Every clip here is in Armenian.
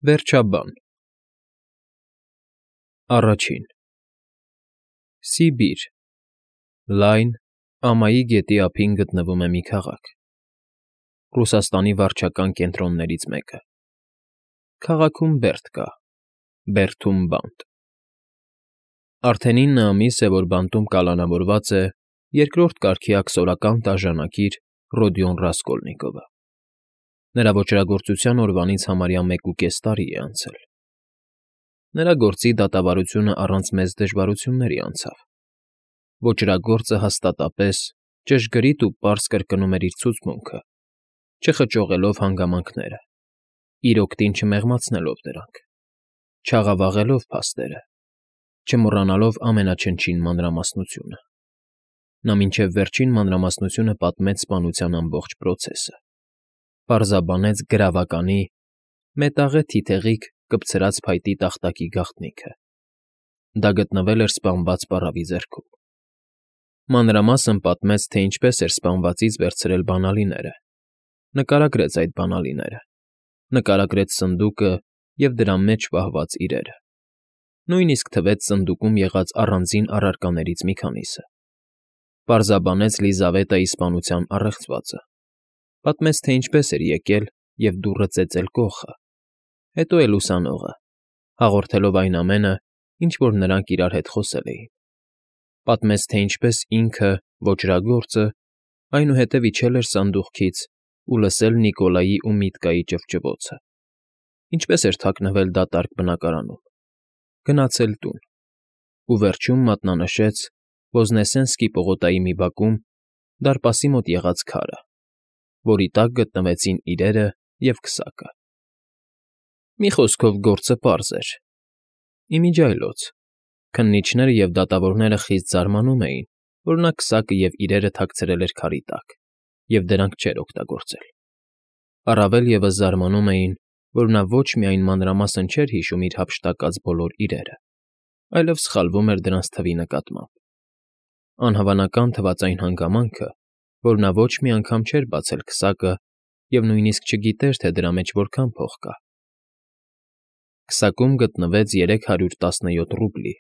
Վերջաբան Առաջին Սիբիր Լայն, ամայի գետի ափին գտնվում է մի քաղաք, Ռուսաստանի վարչական կենտրոններից մեկը։ Քաղաքում բերդ կա, բերդում բանտ։ Արդեն 9 ամիս է, որ բանտում կալանավորված է երկրորդ կարգի աքսորական տաժանակիր Ռոդիոն Ռասկոլնիկովը։ Նրա ոճրագործության օրվանից համարյա 1.5 տարի է անցել։ Նրա գործի դատավարությունը առանց մեծ դժվարությունների անցավ։ Ոճրագործը հաստատապես, ճշգրիտ ու պարզ կրկնում էր իր ցուցմունքը, չխճողելով հանգամանքները, իր օգտին չմեղմացնելով դրանք, չաղավաղելով փաստերը, չմոռանալով ամենաչնչին մանրամասնությունը։ Նա մինչև վերջին մանրամասնությունը պատմեց սպանության ամբողջ պրոցեսը, պարզաբանեց գրավականի, մետաղե թիթեղիկ կպցրած փայտի տախտակի գաղտնիքը։ Դա գտնվել էր սպանված պառավի ձեռքում։ Մանրամասն պատմեց, թե ինչպես էր սպանվածից վերցրել բանալիները, նկարագրեց այդ բանալիները, նկարագրեց սնդուկը և դրա մեջ պահված իրերը, նույնիսկ թվեց սնդուկում եղած առանձին առարկաներից մի քանիսը, պարզաբանեց Լիզավետայի սպանության առեղծվածը, պատմեց, թե ինչպես էր եկել և դուռը ծեծել կոխը, հետո էլ ուսանողը, հաղորդելով այն ամենը, ինչ որ նրանք իրար հետ խոսել էին, պատմեց, թե ինչպես ինքը, ոճրագործը, այնուհետև իջել էր սանդուղքից ու լսել Նիկոլայի ու Միտկայի ճվճվոցը, ինչպես էր թաքնվել դատարկ բնակարանում, գնացել տուն, ու վերջում մատնանշեց Ոզնեսենսկի պողոտայի մի բակում դարպասի մոտ եղած քարը, որի տակ գտնվեցին իրերը և քսակը։ Մի խոսքով գործը պարզ էր։ Իմիջիայլոց, քննիչները և դատավորները խիստ զարմանում էին, որ նա քսակը և իրերը թաքցրել էր քարի տակ և դրանք չէր օգտագործել։ Առավել ևս զարմանում էին, որ նա ոչ միայն մանրամասն չէր հիշում իր հափշտակած բոլոր իրերը, այլև սխալվում էր դրանց թվի նկատմամբ։ Անհավանական թվաց այն հանգամանքը, որ նա ոչ մի անգամ չէր բացել քսակը և նույնիսկ չգիտեր, թե դրա մեջ որքան փող կա։ Քսակում գտնվեց 317 ռուբլի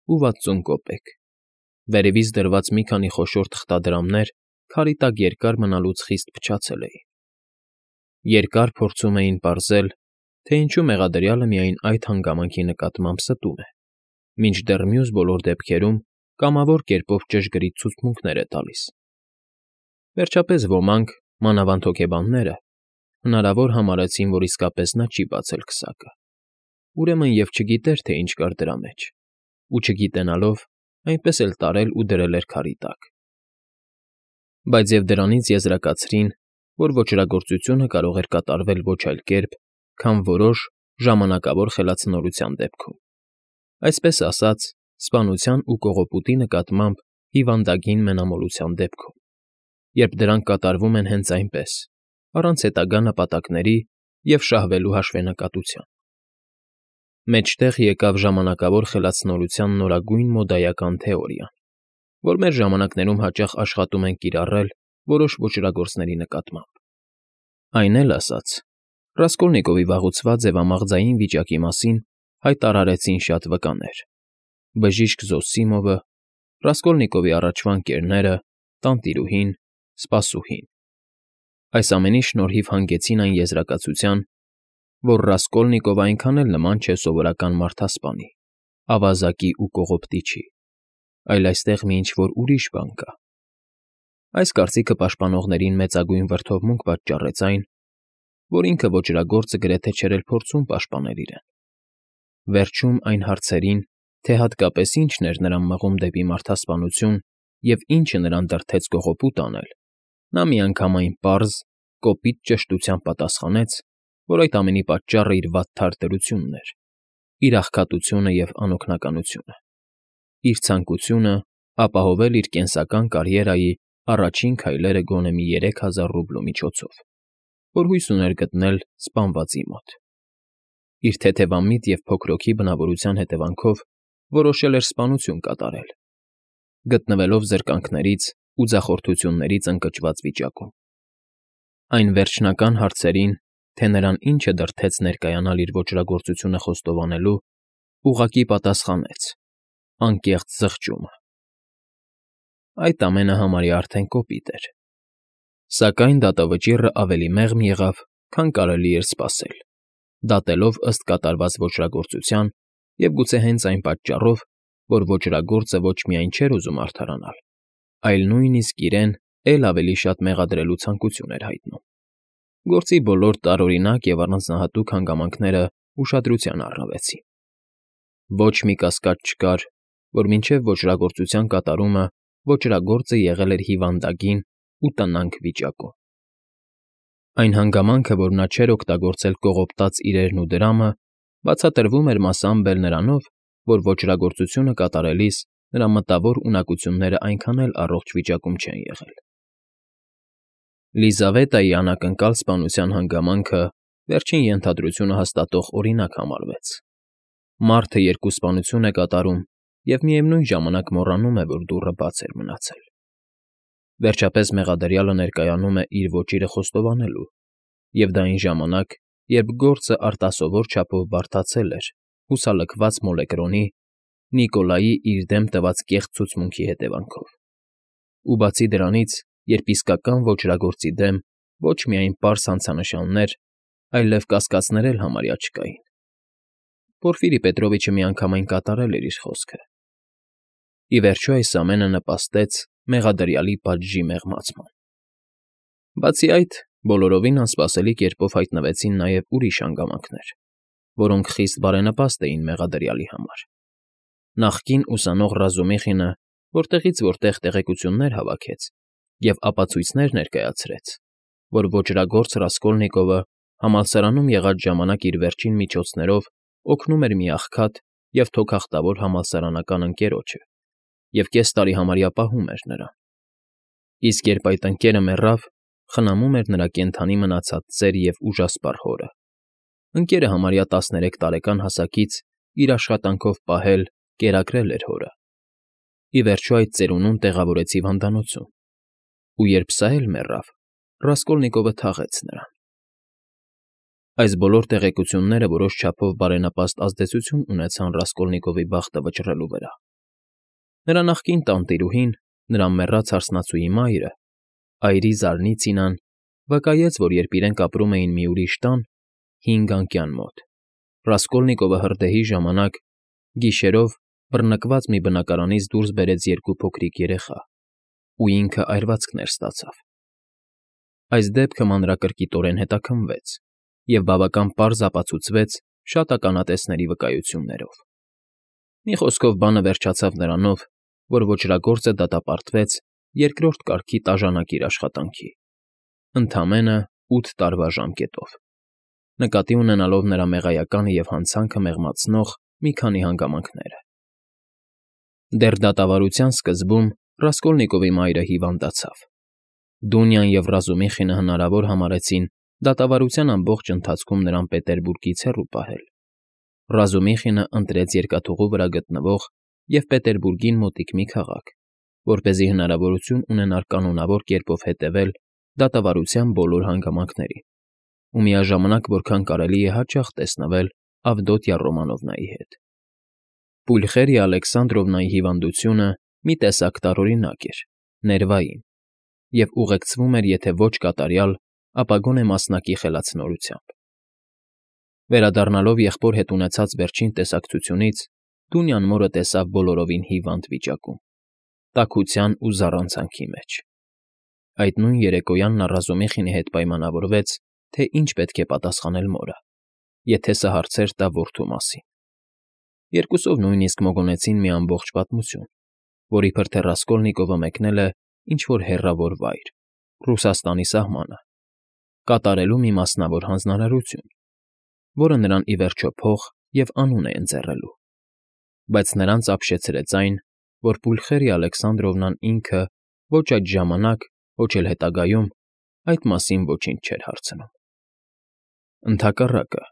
ու 60 կոպեկ, վերևից դրված մի քանի խոշոր թղթադրամներ քարի տակ երկար մնալուց խիստ փչացել էին։ Երկար փորձում էին պարզել, թե ինչու մեղադրյալը միայն այդ հանգամանքի նկատմամբ ստում է, մինչդեռ մյուս բոլոր դեպքերում կամավոր կերպով ճշգրիտ ցուցմունքներ է տալիս։ Վերջապես ոմանք, մանավանդ հոգեբանները, հնարավոր համարեցին, որ իսկապես նա չի բացել քսակը, ուրեմն և չգիտեր, թե ինչ կար դրա մեջ, ու չգիտենալով, այնպես էլ տարել ու դրել էր քարի տակ։ Բայց և դրանից եզրակացրին, որ ոճրագործությունը կարող էր կատարվել ոչ այլ կերպ, քան որոշ ժամանակավոր խելացնորության դեպքում, այսպես ասած, սպանության ու կողոպուտի նկատմամբ հիվանդագին մենամոլության դեպքում, երբ դրանք կատարվում են հենց այնպես, առանց հետագա նպատակների և շահվելու հաշվենկատության։ Մեջտեղ եկավ ժամանակավոր խելացնորության նորագույն մոդայական թեորիան, որ մեր ժամանակներում հաճախ աշխատում են կիրառել որոշ ոճրագործների նկատմամբ։ Այն էլ ասած, Ռասկոլնիկովի վաղուցված ձևամաղձային վիճակի մասին հայտարարեցին շատ վկաներ. բժիշկ Զոսիմովը, Ռասկոլնիկովի առաջվա ընկերները, տանտիրուհին, սպասուհին։ Այս ամենի շնորհիվ հանգեցին այն եզրակացության, որ Ռասկոլնիկովը այնքան էլ նման չէ սովորական մարդասպանի, ավազակի ու կողոպտիչի, այլ այստեղ մի ինչ֊որ ուրիշ բան կա։ Այս կարծիքը պաշտպանողներին մեծագույն վրդովմունք պատճառեց այն, որ ինքը ոճրագործը գրեթե չէր էլ փորձում պաշտպանել իրեն։ Վերջում այն հարցերին, թե հատկապես ինչն էր նրան մղում դեպի մարդասպանություն և ինչը նրան դրդեց կողոպուտ անել, նա միանգամայն պարզ, կոպիտ ճշտությամբ պատասխանեց, որ այդ ամենի պատճառը իր վատթար դրությունն էր, իր աղքատությունը և անօգնականությունը, իր ցանկությունը ապահովել իր կենսական կարիերայի առաջին քայլերը գոնե մի 3000 ռուբլու միջոցով, որ հույս ուներ գտնել սպանվածի մոտ։ Իր թեթևամիտ և փոքրոքի բնավորության հետևանքով որոշել էր սպանություն կատարել, գտնվելով զրկանքներից ու ձախորդություններից ընկճված վիճակում։ Այն վերջնական հարցերին, թե նրան ինչը դրդեց ներկայանալ իր ոճրագործությունը խոստովանելու, ուղղակի պատասխանեց. անկեղծ զղջումը։ Այդ ամենը համարյա արդեն կոպիտ էր։ Սակայն դատավճիռը ավելի մեղմ եղավ, քան կարելի էր սպասել, դատելով ըստ կատարված ոճրագործության և գուցե հենց այն պատճառով, որ ոճրագործը ոչ միայն չէր ուզում արդարանալ, այլ նույնիսկ իրեն էլ ավելի շատ մեղադրելու ցանկություն էր հայտնում։ Գործի բոլոր տարօրինակ և առանձնահատուկ հանգամանքները ուշադրության առնվեցին։ Ոչ մի կասկած չկար, որ մինչև ոճրագործության կատարումը ոճրագործը եղել էր հիվանդագին ու տնանկ վիճակում։ Այն հանգամանքը, որ նա չէր օգտագործել կողոպտած իրերն ու դրամը, բացատրվում էր մասամբ էլ նրանով, որ ոճրագործությունը կատարելիս նրա մտավոր ունակությունները այնքան էլ առողջ վիճակում չեն եղել։ Լիզավետայի անակնկալ սպանության հանգամանքը վերջին ենթադրությունը հաստատող օրինակ համարվեց։ Մարդը երկու սպանություն է կատարում և միևնույն ժամանակ մոռանում է, որ դուռը բաց էր մնացել։ Վերջապես մեղադրյալը ներկայանում է իր ոճիրը խոստովանելու, և դա այն ժամանակ, երբ գործը արտասովոր չափով բարդացել էր հուսալքված մոլեկրոնի Նիկոլայի իր դեմ տված կեղծ ցուցմունքի հետևանքով։ Ու բացի դրանից, երբ իսկական ոճրագործի դեմ ոչ միայն պարզ հանցանշաններ, այլև կասկածներ էլ համարյա չկային։ Պորֆիրի Պետրովիչը միանգամայն կատարել էր իր խոսքը։ Ի վերջո այս ամենը նպաստեց մեղադրյալի պատժի մեղմացման։ Բացի այդ, բոլորովին անսպասելի կերպով հայտնվեցին նաև ուրիշ հանգամանքներ, որոնք խիստ բարենպաստ էին մեղադրյալի համար։ Նախկին ուսանող Ռազումիխինը որտեղից որտեղ տեղեկություններ հավաքեց և ապացույցներ ներկայացրեց, որ ոճրագործ Ռասկոլնիկովը համալսարանում եղած ժամանակ իր վերջին միջոցներով օգնում էր մի աղքատ և թոքախտավոր համալսարանական ընկերոջը և կես տարի համարյա պահում էր նրան։ Իսկ երբ այդ ընկերը մեռավ, խնամում էր նրա կենդանի մնացած ծեր և ուժասպառ հորը։ Ընկերը համարյա 13 տարեկան հասակից իր աշխատանքով պահել, կերակրել էր հորը։ Ի վերջո այդ ծերունուն տեղավորեց հիվանդանոցում, ու երբ սա էլ մեռավ, Ռասկոլնիկովը թաղեց նրան։ Այս բոլոր տեղեկությունները որոշ չափով բարենպաստ ազդեցություն ունեցան Ռասկոլնիկովի բախտը վճռելու վրա։ Նրա նախկին տանտիրուհին, նրա մեռած հարսնացուի մայրը, այրի Զարնիցինան, վկայեց, որ երբ իրենք ապրում էին մի ուրիշ տան, 5 մոտ, Ռասկոլնիկովը հրդեհի ժամանակ գիշերով բռնկված մի բնակարանից դուրս բերեց 2 փոքրիկ երեխա, ու ինքը այրվածքներ ստացավ։ Այս դեպքը մանրակրկիտորեն հետաքննվեց և բավական պարզ ապացուցվեց շատ ականատեսների վկայություններով։ Մի խոսքով բանը վերջացավ նրանով, որ ոճրագործը դատապարտվեց երկրորդ կարգի տաժանակիր աշխատանքի, ընդամենը 8 տարվա ժամկետով, նկատի ունենալով նրա մեղայականը և հանցանքը մեղմացնող մի քանի հանգամանքները։ Դեռ դատավարության սկզբում Ռասկոլնիկովի մայրը հիվանդացավ։ Դունյան և Ռազումիխինը հնարավոր համարեցին դատավարության ամբողջ ընթացքում նրան Պետերբուրգից հեռու պահել։ Ռազումիխինը ընտրեց երկաթուղու վրա գտնվող և Պետերբուրգին մոտիկ մի քաղաք, որպեսզի հնարավորություն ունենար կանոնավոր կերպով հետևել դատավարության բոլոր հանգամանքներին ու միաժամանակ որքան կարելի է հաճախ տեսնվել Ավդոտյա Ռոմանովնայի հետ։ Պուլխերիա Ալեքսանդրովնայի հիվանդությունը մի տեսակ տարօրինակ էր, ներվային, և ուղեկցվում էր եթե ոչ կատարյալ, ապա գոնե մասնակի խելացնորությամբ։ Վերադառնալով եղբոր հետ ունեցած վերջին տեսակցությունից, Դունյան մորը տեսավ բոլորովին հիվանդ վիճակում, տաքության ու զառանցանքի մեջ։ Այդ նույն երեկոյան նա Ռազումիխինի հետ պայմանավորվեց, թե ինչ պետք է պատասխանել մորը, եթե սա հարցեր տա որդու մասին։ Երկուսով նույնիսկ մոգոնեցին մի ամբողջ պատմություն, որ իբր թե Ռասկոլնիկովը մեկնել է ինչ֊որ հեռավոր վայր, Ռուսաստանի սահմանը, կատարելու մի մասնավոր հանձնարարություն, որը նրան ի վերջո փող և անուն է ընձեռելու, բայց նրանց ապշեցրեց այն, որ Պուլխերիա Ալեքսանդրովնան ինքը ոչ այդ ժամանակ, ոչ էլ հետագայում այդ մասին ոչինչ չէր հարցնում։ Ընդհակառակը,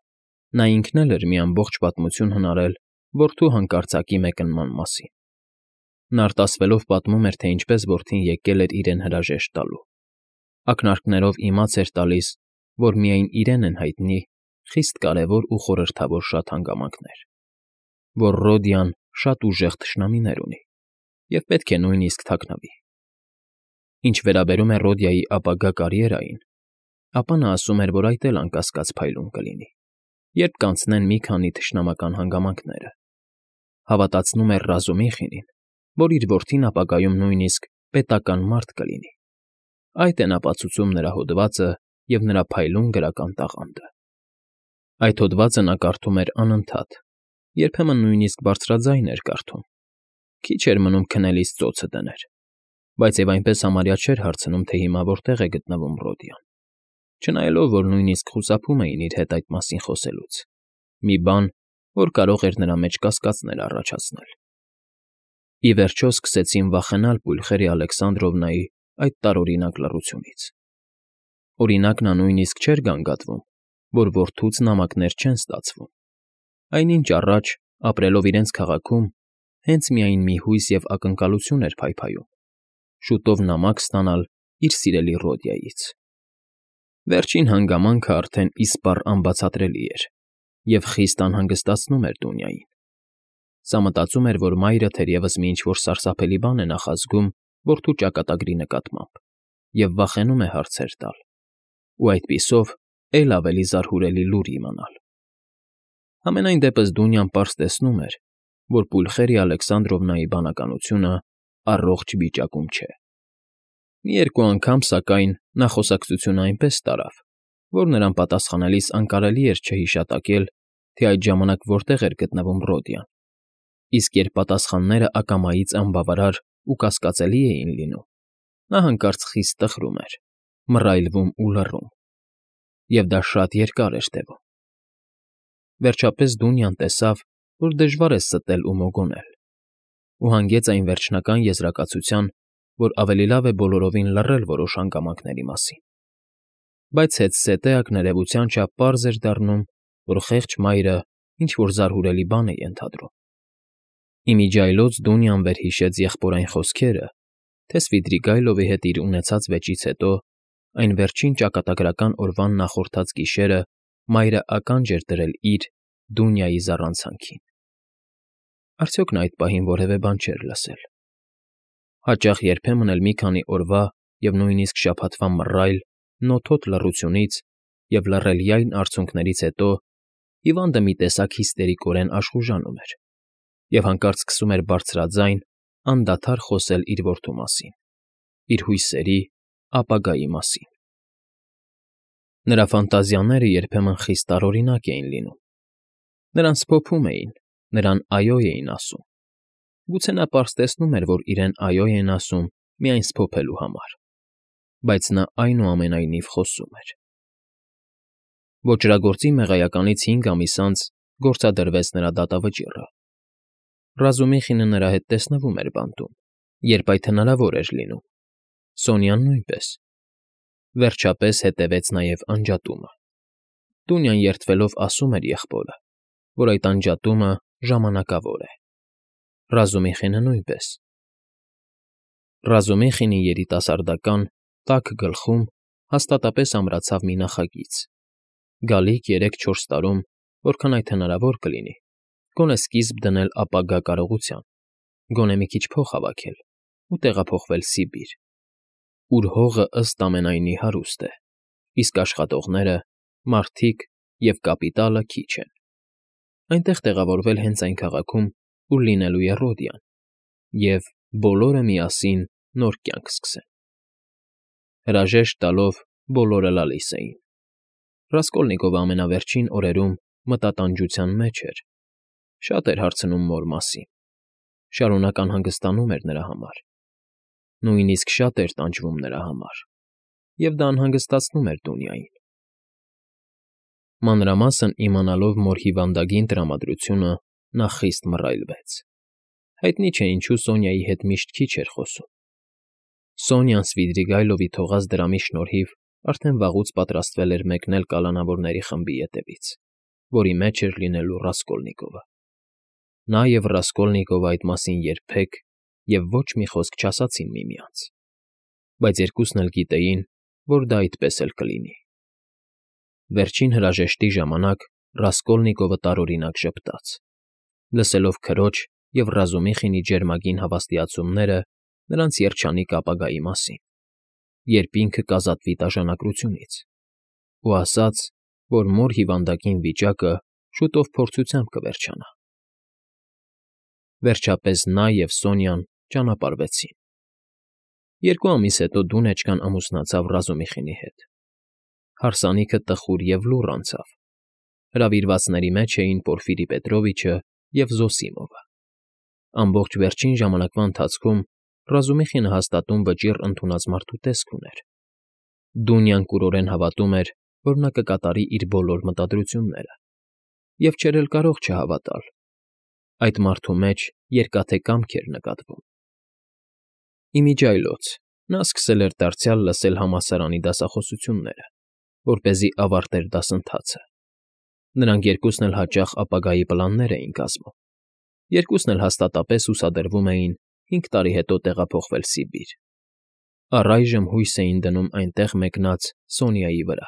նա ինքն էլ էր մի ամբողջ պատմություն հնարել որդու հանկարծակի մեկնման մասին։ Նա արտասվելով պատմում էր, թե ինչպես որդին եկել էր իրեն հրաժեշտ տալու, ակնարկներով իմաց էր տալիս, որ միայն իրեն են հայտնի խիստ կարևոր ու խորհրդավոր շատ հանգամանքներ, որ Ռոդիան շատ ուժեղ թշնամիներ ունի և պետք է նույնիսկ թաքնվի։ Ինչ վերաբերում է Ռոդիայի ապագա կարիերային, ապա նա ասում էր, որ այդ էլ անկասկած փայլուն կլինի, երբ կանցնեն մի քանի թշնամական հանգամանքները։ Հավատացնում էր Ռազումիխինին, որ իր որդին ապագայում նույնիսկ պետական մարդ կլինի։ Այդ են ապացուցում նրա հոդվածը և նրա փայլուն գրական տաղանդը։ Այդ հոդվածը նա կարդում էր անընդհատ, երբեմն նույնիսկ բարձրաձայն էր կարդում։ Քիչ էր մնում քնելիս ծոցը դներ, բայց և այնպես համարյա չէր հարցնում, թե հիմա որտեղ է գտնվում Ռոդիան, չնայելով, որ նույնիսկ խուսափում էին իր հետ այդ մասին խոսելուց, մի բան, որ կարող էր նրա մեջ կասկածներ առաջացնել։ Ի վերջո սկսեցին վախենալ Պուլխերի Ալեքսանդրովնայի այդ տարօրինակ լռությունից։ Օրինակ, նա նույնիսկ չէր գանգատվում, որ որդուց նամակներ չեն ստացվում։ Այնինչ առաջ, ապրելով իրենց քաղաքում, հենց միայն մի հույս և ակնկալություն էր փայփայում՝ շուտով նամակ ստանալ իր սիրելի Ռոդիայից։ Վերջին հանգամանքը արդեն իսպառ անբացատրելի էր և խիստ անհանգստացնում էր Դունյային։ Սա մտածում էր, որ մայրը թերևս մի ինչ֊որ սարսափելի բան է նախազգում որդու ճակատագրի նկատմամբ և վախենում է հարցեր տալ, ու այդպիսով էլ ավելի զարհուրելի լուր իմանալ։ Համենայն դեպս Դունյան պարզ տեսնում էր, որ Պուլխերի Ալեքսանդրովնայի բանականությունը առողջ վիճակում չէ։ Մի երկու անգամ, սակայն, նա խոսակցությունը այնպես տարավ, որ նրան պատասխանելիս անկարելի էր չհիշատակել, թե այդ ժամանակ որտեղ էր գտնվում Ռոդիան, իսկ երբ պատասխանները ակամայից անբավարար ու կասկածելի էին լինում, նա հանկարծ խիստ տխրում էր, մռայլվում ու լռում, և դա շատ երկար էր տևում։ Վերջապես Դունյան տեսավ, որ դժվար է ստել ու մոգոնել, ու հանգեց այն վերջնական եզրակացության, որ ավելի լավ է բոլորովին լռել որոշ հանգամանքների մասին։ Բայց հետզհետե ներևության չափ պարզ էր դառնում, որ խեղճ մայրը ինչ֊որ զարհուրելի բան է ենթադրում։ Ի միջի այլոց Դունյան վերհիշեց եղբորայն խոսքերը, թե Սվիդրիգայլովի հետ իր ունեցած վեճից հետո, այն վերջին ճակատագրական օրվան նախորդած գիշերը մայրը ականջ էր դրել իր՝ Դունյայի զառանցանքին։ Արդյոք նա այդ պահին որևէ բան չէր լսել։ Հաճախ երբեմն էլ մի քանի օրվա և նույնիսկ շաբաթվա մռայլ, նոթոտ լռությունից և լռելյայն արցունքներից հետո հիվանդը մի տեսակ հիստերիկորեն աշխուժանում էր և հանկարծ սկսում էր բարձրաձայն, անդադար խոսել իր որդու մասին, իր հույսերի, ապագայի մասին։ Նրա ֆանտազիաները երբեմն խիստ տարօրինակ էին լինում։ Նրան սփոփում էին, նրան «այո» էին ասում։ Գուցե նա պարզ տեսնում էր, որ իրեն «այո» են ասում միայն սփոփելու համար, բայց նա այնուամենայնիվ խոսում էր։ Ոճրագործի մեղայականից 5 ամիս անց գործադրվեց նրա դատավճիռը։ Ռազումիխինը նրա հետ տեսնվում էր բանտում, երբ այդ հնարավոր էր լինում, Սոնյան նույնպես։ Վերջապես հետևեց նաև անջատումը։ Դունյան երդվելով ասում էր եղբորը, որ այդ անջատումը ժամանակավոր է։ Ռազումիխինը նույնպես։ Ռազումիխինի երիտասարդական, տաք գլխում հաստատապես ամրացավ մի նախագիծ՝ գալիք 3-4 տարում, որքան այդ հնարավոր կլինի, գոնե սկիզբ դնել ապագա կարողության, գոնե մի քիչ փող հավաքել ու տեղափոխվել Սիբիր, ուր հողը ըստ ամենայնի հարուստ է, իսկ աշխատողները, մարդիկ և կապիտալը քիչ են։ Այնտեղ տեղավորվել հենց այն քաղաքում, ուր լինելու է Ռոդիան, և բոլորը միասին նոր կյանք սկսեն։ Հրաժեշտ տալով բոլորը լալիս էին։ Ռասկոլնիկովը ամենավերջին օրերում մտատանջության մեջ էր, շատ էր հարցնում մոր մասին, շարունակ անհանգստանում էր նրա համար, նույնիսկ շատ էր տանջվում նրա համար, և դա անհանգստացնում էր Դունյային։ Մանրամասն իմանալով մոր հիվանդագին տրամադրությունը, նա խիստ մռայլվեց։ Հայտնի չէ ինչու Սոնյայի հետ միշտ քիչ էր խոսում։ Սոնյան Սվիդրիգայլովի թողած դրամի շնորհիվ արդեն վաղուց պատրաստվել էր մեկնել կալանավորների խմբի ետևից, որի մեջ էր լինելու Ռասկոլնիկովը։ Նա և Ռասկոլնիկովը այդ մասին երբեք և ոչ մի խոսք չասացին միմյանց, բայց երկուսն էլ գիտեին, որ դա այդպես էլ կլինի։ Վերջին հրաժեշտի ժամանակ Ռասկոլնիկովը տարօրինակ ժպտաց, լսելով քրոջ և Ռազումիխինի ջերմագին հավաստիացումները նրանց երջանիկ ապագայի մասին, երբ ինքը կազատվի տաժանակությունից, ու ասաց, որ մոր հիվանդակին վիճակը շուտով փորձությամբ կվերջանա։ Վերջապես նա և Սոնյան ճանապարհվեցին։ 2 ամիս հետո Դունեչկան ամուսնացավ Ռազումիխինի հետ։ Հարսանիքը տխուր և լուռ անցավ։ Հրավիրվածների մեջ էին Պորֆիրի Պետրովիչը և Զոսիմովը։ Ամբողջ վերջին ժամանակվա ընթացքում Ռազումիխինը հաստատուն վճիռ ընդունած մարդու տեսք ուներ։ Դունյան կուրորեն հավատում էր, որ նա կկատարի իր բոլոր մտադրությունները, և չէր էլ կարող չհավատալ։ Այդ մարդու մեջ երկաթե կամք էր նկատվում։ Իմիջիայլոց նա սկսել էր դարձյալ լսել համալսարանի դասախոսությունները, որպեսզի ավարտեր դասընթացը։ Նրանք երկուսն էլ հաճախ ապագայի պլաններ էին կազմում, երկուսն էլ հաստատապես հուսադրվում էին 5 տարի հետո տեղափոխվել Սիբիր։ Առայժմ հույս էին դնում այնտեղ մեկնած Սոնյայի վրա։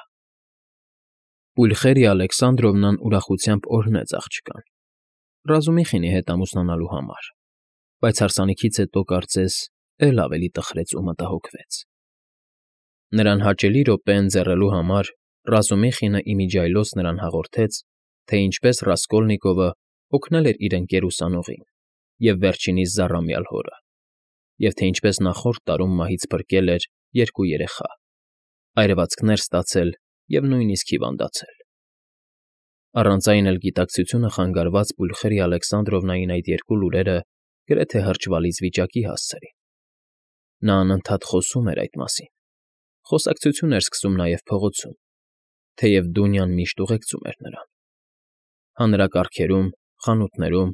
Պուլխերիա Ալեքսանդրովնան ուրախությամբ օրհնեց աղջկան Ռազումիխինի հետ ամուսնանալու համար, բայց հարսանիքից հետո, կարծես, էլ ավելի տխրեց ու մտահոգվեց։ Նրան հաճելի րոպե ընձեռելու համար Ռազումիխինը իմիջիայլոց նրան հաղորդեց, թե ինչպես Ռասկոլնիկովը օգնել էր իր ընկեր ուսանողին և վերջինիս զառամյալ հորը, և թե ինչպես նախորդ տարում մահից փրկել էր 2 երեխա, այրվածքներ ստացել և նույնիսկ հիվանդացել։ Առանց այն էլ գիտակցությունը խանգարված Պուլխերիա Ալեքսանդրովնային այդ 2 լուրերը գրեթե հրճվալից վիճակի հասցրին։ Նա անընդհատ խոսում էր այդ մասին։ Խոսակցություն էր սկսում նաև փողոցում, թեև Դունյան միշտ ուղեկցում էր նրան։ Հանրակարգերում, խանութներում,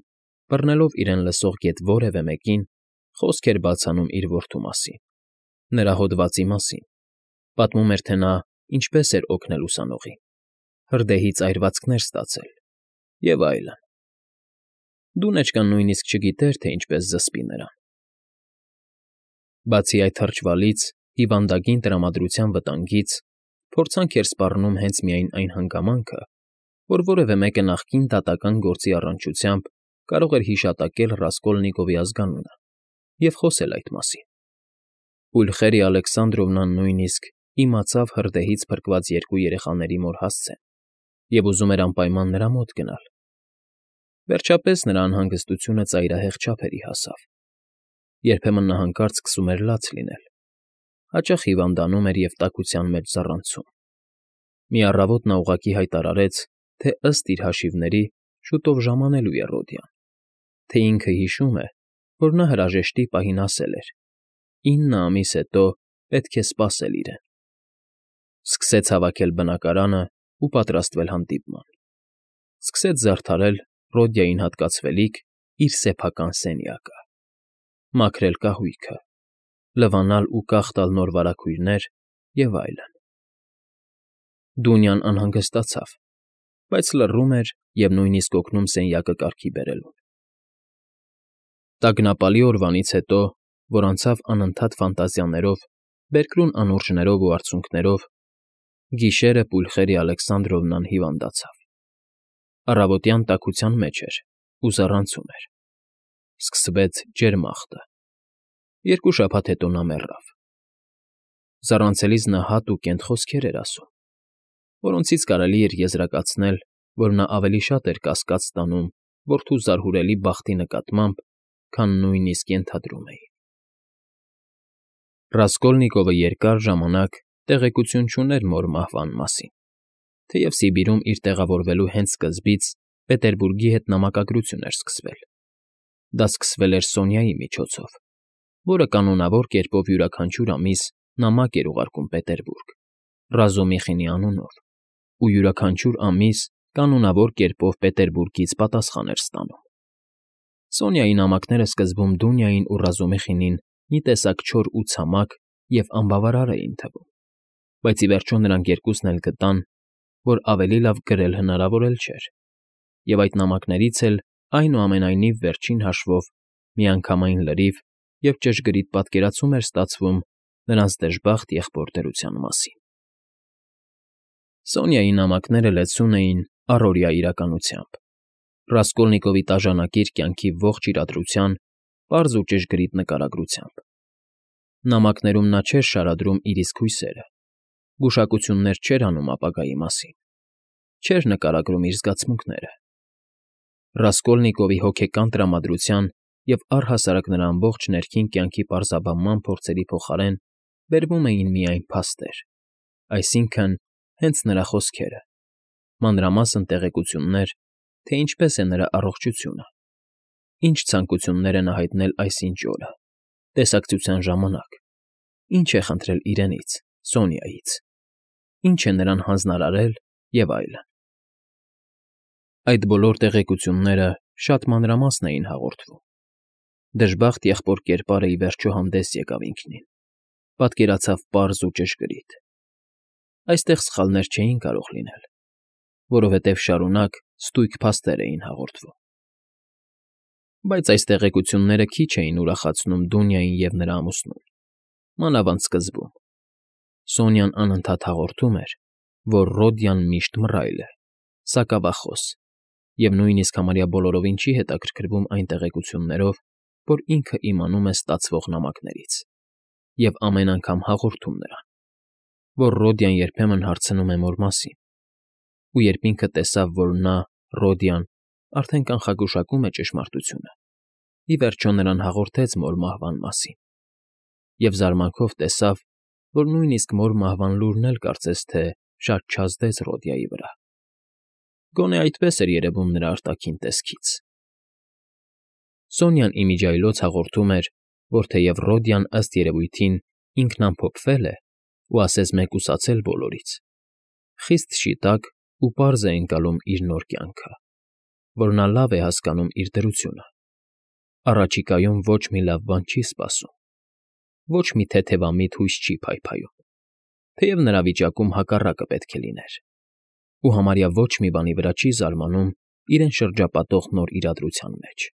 բռնելով իրեն լսող գեթ որևէ մեկին, խոսք էր բաց անում իր որդու մասին, նրա հոդվածի մասին, պատմում էր, թե նա ինչպես էր օգնել ուսանողին, հրդեհից այրվածքներ ստացել և այլն։ Դունեչկան նույնիսկ չգիտեր, թե ինչպես զսպի նրան։ Բացի այդ թրջվալից, հիվանդագին տրամադրության վտանգից, փորձանք էր սպառնում հենց միայն այն հանգամանքը, որ որևէ մեկը նախկին դատական գործի առնչությամբ կարող էր հիշատակել Ռասկոլնիկովի ազգանունը և խոսել այդ մասին։ Պուլխերիա Ալեքսանդրովնան նույնիսկ իմացավ հրդեհից փրկված 2 երեխաների մոր հասցեն և ուզում էր անպայման նրա մոտ գնալ։ Վերջապես նրա անհանգստությունը ծայրահեղ չափերի հասավ։ Երբեմն նա հանկարծ սկսում էր լաց լինել, հաճախ հիվանդանում էր և տաքության մեջ ձառանցում։ Մի առավոտ նա ուղղակի հայտարարեց, թե ըստ իր հաշիվների շուտով ժամանելու է Ռոդյան, թե ինքը հիշում է, որ նա հրաժեշտի պահին ասել էր. 9 ամիս հետո պետք է սպասել իրեն։ Սկսեց հավաքել բնակարանը ու պատրաստվել հանդիպման։ Սկսեց զարդարել Ռոդյային հատկացվելիք իր սեփական սենյակը, մաքրել կահույքը, լվանալ ու կախ տալ նոր վարագույրներ և այլն։ Դունյան անհանգստացավ, բայց լռում էր և նույնիսկ օգնում սենյակը կարգի բերելուն։ Տագնապալի օրվանից հետո, որ անցավ անընդհատ ֆանտազիաներով, բերկրուն անուրջներով ու արցունքներով, գիշերը Պուլխերիա Ալեքսանդրովնան հիվանդացավ։ Առավոտյան տաքության մեջ էր ու զառանցում էր։ Սկսվեց ջերմախտը։ 2 շաբաթ հետո նա մեռավ։ Զառանցելիս նա հատ ու կենտ խոսքեր էր ասում, որոնցից կարելի էր եզրակացնել, որ նա ավելի շատ էր կասկած ստանում որդու զարհուրելի բախտի նկատմամբ, քան նույնիսկ ենթադրում էին։ Ռասկոլնիկովը երկար ժամանակ տեղեկություն չուներ մոր մահվան մասին, թեև Սիբիրում իր տեղավորվելու հենց սկզբից Պետերբուրգի հետ նամակագրություն էր սկսվել։ Դա սկսվել էր Սոնյայի միջոցով, որը կանոնավոր կերպով յուրաքանչյուր ամիս նամակ էր ուղարկում Պետերբուրգ Ռազումիխինի անունով, ու յուրաքանչյուր ամիս կանոնավոր կերպով Պետերբուրգից պատասխան էր ստանում։ Սոնյայի նամակները սկզբում Դունյային ու Ռազումիխինին մի տեսակ չոր ու ցամաք և անբավարար էին թվում, բայց ի վերջո նրանք երկուսն էլ գտան, որ ավելի լավ գրել հնարավոր էլ չէր, և այդ նամակներից էլ այնուամենայնիվ վերջին հաշվով միանգամայն լրիվ և ճշգրիտ պատկերացում էր ստացվում նրանց դժբախտ եղբոր դրության մասին։ Սոնյայի նամակները լեցուն էին առօրյա իրականությամբ, Ռասկոլնիկովի տաժանակիր կյանքի ողջ իրադրության պարզ ու ճշգրիտ նկարագրությամբ։ Նամակներում նա չէր շարադրում իր իսկ հույսերը, գուշակություններ չէր անում ապագայի մասին, չէր նկարագրում իր զգացմունքները։ Ռասկոլնիկովի հոգեկան տրամադրության և առհասարակ նրա ամբողջ ներքին կյանքի պարզաբանման փորձերի փոխարեն բերվում էին միայն փաստեր, այսինքն՝ հենց նրա խոսքերը, մանրամասն տեղեկություններ, թե ինչպես է նրա առողջությունը, ինչ ցանկություններ է նա հայտնել այսինչ օրը, տեսակցության ժամանակ, ինչ է խնդրել իրենից, Սոնյայից, ինչ է նրան հանձնարարել և այլն։ Այդ բոլոր տեղեկությունները շատ մանրամասն էին հաղորդվում։ Դժբախտ եղբոր կերպարը ի վերջո հանդես եկավ ինքնին, պատկերացավ պարզ ու ճշգրիտ։ Այստեղ սխալներ չէին կարող լինել, որովհետև շարունակ ստույգ փաստեր էին հաղորդվում։ Բայց այս տեղեկությունները քիչ էին ուրախացնում Դունյային և նրա ամուսնուն, մանավանդ սկզբում։ Սոնյան անընդհատ հաղորդում էր, որ Ռոդյան միշտ մռայլ է, սակավախոս, և նույնիսկ համարյա բոլորովին չի հետաքրքրվում այն տեղեկություններով, որ ինքը իմանում է ստացվող նամակներից, և ամեն անգամ հաղորդում նրան, որ Ռոդյան երբեմն հարցնում է մոր մասին, ու երբ ինքը տեսավ, որ նա, Ռոդյան, արդեն կանխագուշակում է ճշմարտությունը, ի վերջո նրան հաղորդեց մոր մահվան մասին, և զարմանքով տեսավ, որ նույնիսկ մոր մահվան լուրն էլ կարծես թե շատ չազդեց Ռոդյայի վրա։ Գոնե այդպես էր երևում նրա արտաքին տեսքից։ Սոնյան իմիջիայլոց հաղորդում էր, որ թեև Ռոդյան ըստ երևույթին ինքն ամփոփվել է ու ասես մեկուսացել բոլորից, խիստ շիտակ ու պարզ է ընկալում իր նոր կյանքը, որ նա լավ է հասկանում իր դրությունը, առաջիկայում ոչ մի լավ բան չի սպասում, ոչ մի թեթևամիտ հույս չի փայփայում, թեև նրա վիճակում հակառակը պետք է լիներ, ու համարյա ոչ մի բանի վրա չի զարմանում իրեն շրջապատող նոր իրադրության մեջ,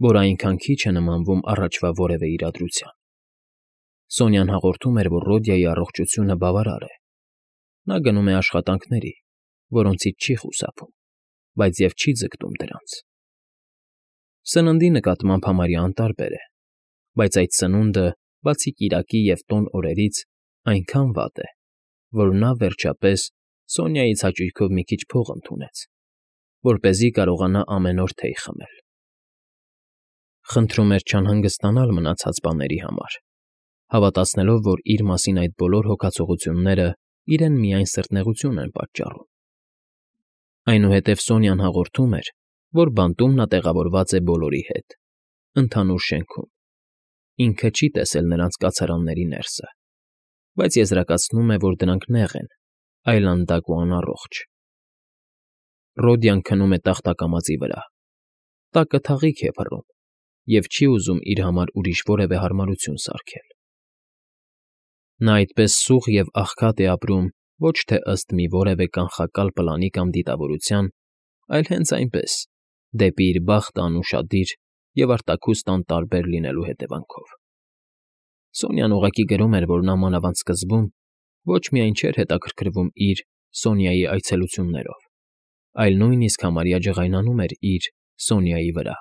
որ այնքան քիչ է նմանվում առաջվա որևէ իրադրության։ Սոնյան հաղորդում էր, որ Ռոդյայի առողջությունը բավարար է։ Նա գնում է աշխատանքների, որոնցից չի խուսափում, բայց և չի ձգտում դրանց։ Սննդի նկատմամբ համարյա անտարբեր է, բայց այդ սնունդը, բացի կիրակի և տոն օրերից, այնքան վատ է, որ նա, վերջապես, Սոնյայից հաճույքով մի քիչ փող ընդունեց, որպեսզի կարողանա ամեն օր թեյ խմել։ Խնդրում էր չանհանգստանալ մնացած բաների համար, հավատացնելով, որ իր մասին այդ բոլոր հոգացողությունները իրեն միայն սրտնեղություն են պատճառում։ Այնուհետև Սոնյան հաղորդում էր, որ բանտում նա տեղավորված է բոլորի հետ, ընդհանուր շենքում։ Ինքը չի տեսել նրանց կացարանների ներսը, բայց եզրակացնում է, որ դրանք նեղ են, այլանդակ ու անառողջ։ Ռոդյան քնում է տախտակամածի վրա, տակը թաղիք է փռում և չի ուզում իր համար ուրիշ որևէ հարմարություն սարքել։ Նա այդպես սուղ և աղքատ է ապրում ոչ թե ըստ մի որևէ կանխակալ պլանի կամ դիտավորության, այլ հենց այնպես, դեպի իր բախտը անուշադիր և արտաքուստ անտարբեր լինելու հետևանքով։ Սոնյան ուղղակի գրում էր, որ նա մանավանդ սկզբում ոչ միայն չէր հետաքրքրվում իր, Սոնյայի այցելություններով, այլ նույնիսկ համարյա ջղայնանում էր իր, Սոնյայի վրա,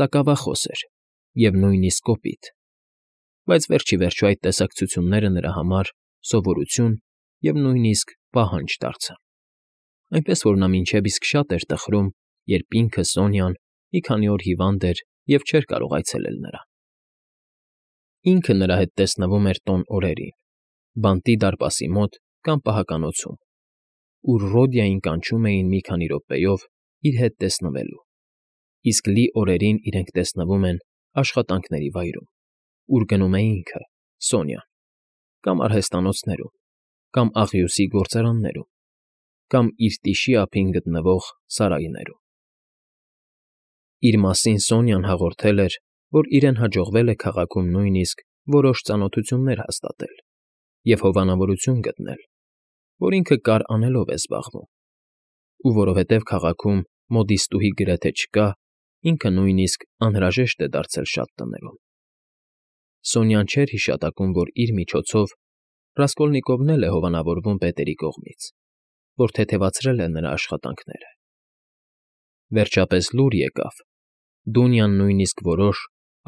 սակավախոս էր և նույնիսկ կոպիտ, բայց վերջիվերջո այդ տեսակցությունները նրա համար սովորություն և նույնիսկ պահանջ դարձան, այնպես որ նա մինչև իսկ շատ էր տխրում, երբ ինքը, Սոնյան, մի քանի օր հիվանդ էր և չէր կարող այցելել նրան։ Ինքը նրա հետ տեսնվում էր տոն օրերին, բանտի դարպասի մոտ կամ պահականոցում, ուր Ռոդյային կանչում էին մի քանի րոպեով իր հետ տեսնվելու, իսկ լի օրերին իրենք տեսնվում են աշխատանքների վայրում, ուր գնում է ինքը, Սոնյան, կամ արհեստատնոցներում, կամ աղյուսի գործարաններում, կամ իր տիշի ափին գտնվող սարայներում։ Իր մասին Սոնյան հաղորդել էր, որ իրեն հաջողվել է քաղաքում նույնիսկ որոշ ծանոթություններ հաստատել և հովանավորություն գտնել, որ ինքը կար անելով է զբաղվում, ու որովհետև քաղաքում մոդիստուհի գրեթե չկա, ինքը նույնիսկ անհրաժեշտ է դարձել շատ տներում։ Սոնյան չէր հիշատակում, որ իր միջոցով Ռասկոլնիկովն էլ է հովանավորվում պետերի կողմից, որ թեթևացրել էր նրա աշխատանքները։ Վերջապես լուր եկավ. Դունյան նույնիսկ որոշ,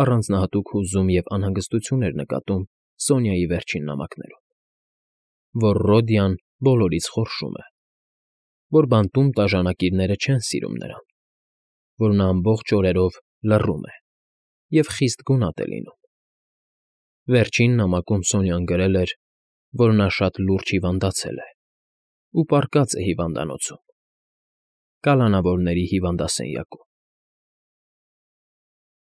առանձնահատուկ հուզում և անհանգստություն էր նկատում Սոնյայի վերջին նամակներում, որ Ռոդյան բոլորից խորշում է, որ բանտում տաժանակիրները չեն սիրում նրան, որ նա ամբողջ օրերով լռում է և խիստ գունատ է լինում։ Վերջին նամակում Սոնյան գրել էր, որ նա շատ լուրջ հիվանդացել է ու պառկած է հիվանդանոցում՝ կալանավորների հիվանդասենյակում։